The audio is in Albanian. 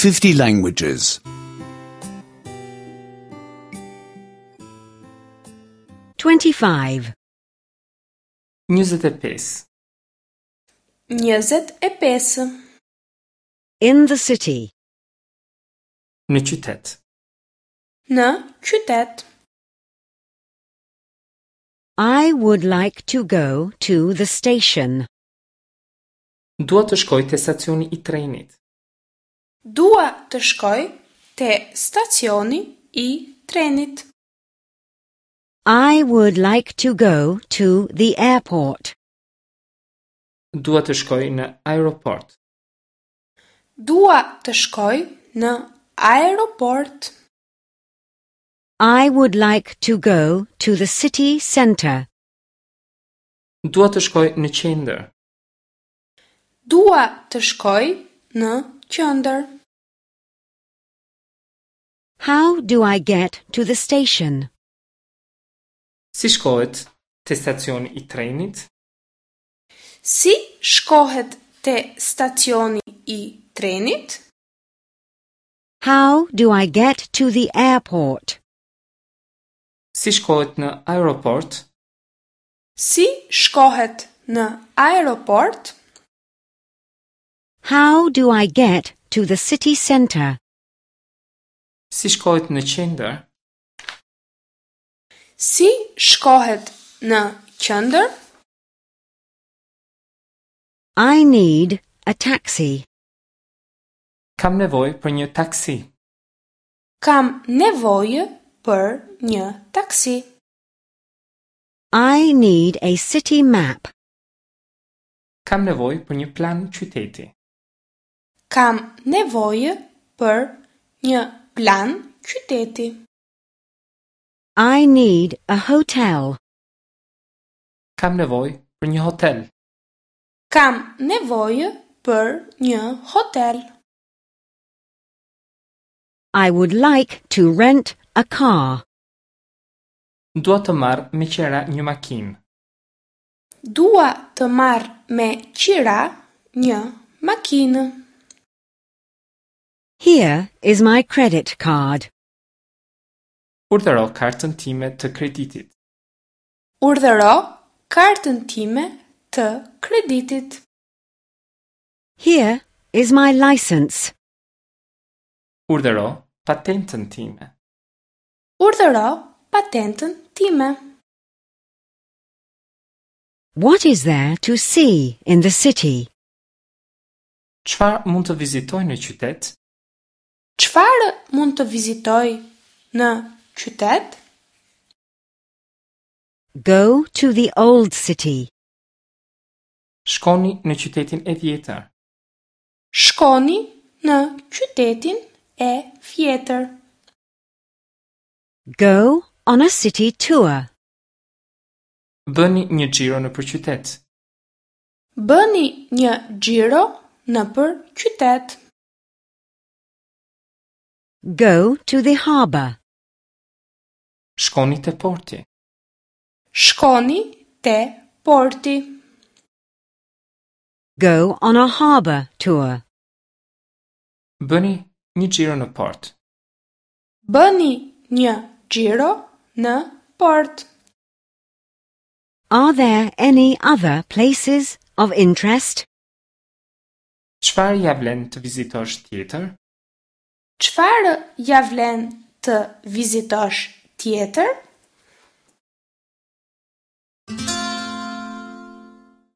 50 languages. 25. 25. 25. In the city. Në qytet. Në qytet. I would like to go to the station. Dua të shkoj te stacioni i trenit. Dua të shkoj te stacioni i trenit. I would like to go to the airport. Dua të shkoj në aeroport. Dua të shkoj në aeroport. I would like to go to the city center. Dua të shkoj në qendër. Dua të shkoj në qendër. How do I get to the station? Si shkohet te stacioni i trenit? Si shkohet te stacioni i trenit? How do I get to the airport? Si shkohet në aeroport? Si shkohet në aeroport? How do I get to the city center? Si shkohet në qendër? Si shkohet në qendër? I need a taxi. Kam nevojë për një taksi. Kam nevojë për një taksi. I need a city map. Kam nevojë për një plan qyteti. Kam nevojë për një plan qyteti. I need a hotel. Kam nevojë për një hotel. Kam nevojë për një hotel. I would like to rent a car. Dua të marr me qera një makinë. Dua të marr me qira një makinë. Here is my credit card. Urdhëro kartën time të kreditit. Urdhëro kartën time të kreditit. Here is my license. Urdhëro patentën time. Urdhëro patentën time. What is there to see in the city? Çfarë mund të vizitoj në qytet? Çfarë mund të vizitoj në qytet? Go to the old city. Shkoni në qytetin e vjetër. Shkoni në qytetin e vjetër. Go on a city tour. Bëni një xhiro nëpër qytet. Bëni një xhiro nëpër qytet. Go to the harbor. Shkoni te porti. Shkoni te porti. Go on a harbor tour. Bëni një xhiro në port. Bëni një xhiro në port. Are there any other places of interest? Çfarë ja vlen të vizitosh tjetër? Çfarë ja vlen të vizitosh tjetër?